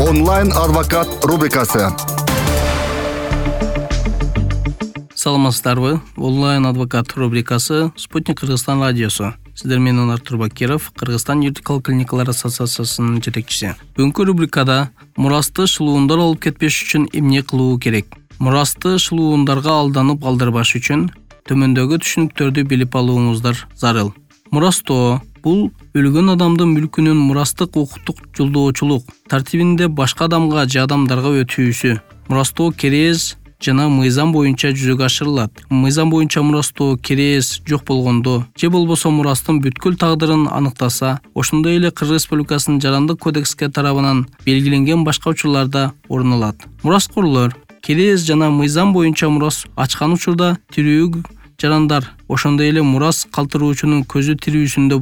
Онлайн адвокат рубрикасы. Саламатсыздарбы? Онлайн адвокат рубрикасы Спутник Кыргызстан радиосу. Сиздер менен Артур Бакиров, Кыргызстан юридикалык клиникалар ассоциациясынын жетекчиси. Бүгүнкү рубрикада мурасты шылуундар алып кетпеш үчүн эмне кылуу керек? Мурасты шылуундарга алданып калдырбаш үчүн төмөндөгү түшүнүктөрдү билип алууңуздар зарыл. Мурастоо бул өлгөн адамдын мүлкүнүн мурастык укуктук жолдоочулук тартибинде башка адамга же адамдарга өтүүсү. Мурастоо керез жана мыйзам боюнча жүзөгө ашырылат. Мыйзам боюнча мурастоо керез жок болгондо же болбосо мурастын бүткүл тагдырын аныктаса, ошондой эле Кыргыз Республикасынын Жарандык кодекске тарабынан белгиленген башка учурларда орун алат. Мураскорлор керез жана мыйзам боюнча мурас ачкан учурда тирүү жарандар, ошондой эле мурас калтыруучунун көзү тирүүсүндө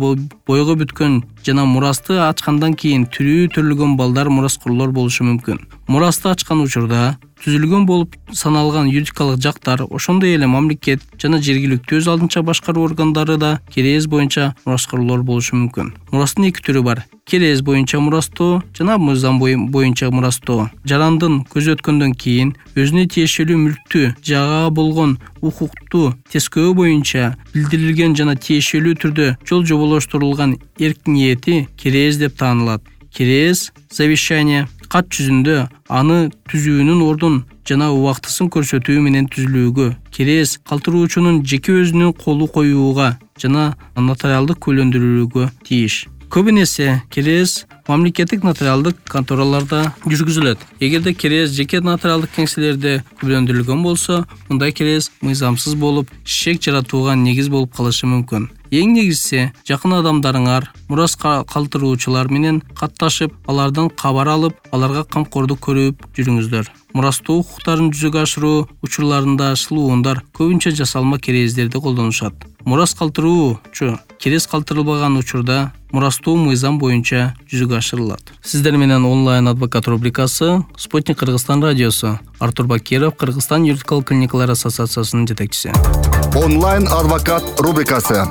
бойго бүткөн жана мурасты ачкандан кийин тирүү төрөлгөн балдар мураскорлор болушу мүмкүн. Мурасты ачкан учурда түзүлгөн болуп саналган юридикалык жактар, ошондой эле мамлекет жана жергиликтүү өз алдынча башкаруу органдары да керез боюнча мураскорлор болушу мүмкүн. Мурастын эки түрү бар: керез боюнча мурастоо жана мыйзам боюнча мурастоо. Жарандын көзү өткөндөн кийин өзүнө тиешелүү мүлктү жага болгон укукту тескөө боюнча билдирилген жана тиешелүү түрдө жол жоболоштурулган эрк ниети керез деп таанылат. Керез завещание кат жүзүндө аны түзүүнүн ордун жана убактысын көрсөтүү менен түзүлүүгө, керез калтыруучунун жеке өзүнүн колу коюуга жана нотариалдык куүлөндүрүүгө тийиш. Көбүнесе керез мамлекеттик нотариалдык контораларда жүргүзүлөт. Эгерде керез жеке нотариалдык кеңселерде күбөлөндүрүлгөн болсо, мындай керез мыйзамсыз болуп, шек жаратууга негиз болуп калышы мүмкүн. Эң негизгиси, жакын адамдарыңар мурас калтыруучулар менен катташып, алардан кабар алып, аларга камкордук көрүп жүрүңүздөр. Мурастоо укуктарын жүзөгө ашыруу учурларында шылуундар көбүнчө жасалма керездерди колдонушат. Мурас калтыруучу керез калтырылбаган учурда мурастоо мыйзам боюнча жүзөгө ашырылат. Сиздер менен онлайн адвокат рубрикасы Спутник Кыргызстан радиосу. Артур Бакиров, Кыргызстан юридикалык клиникалар ассоциациясынын жетекчиси. Онлайн адвокат рубрикасы.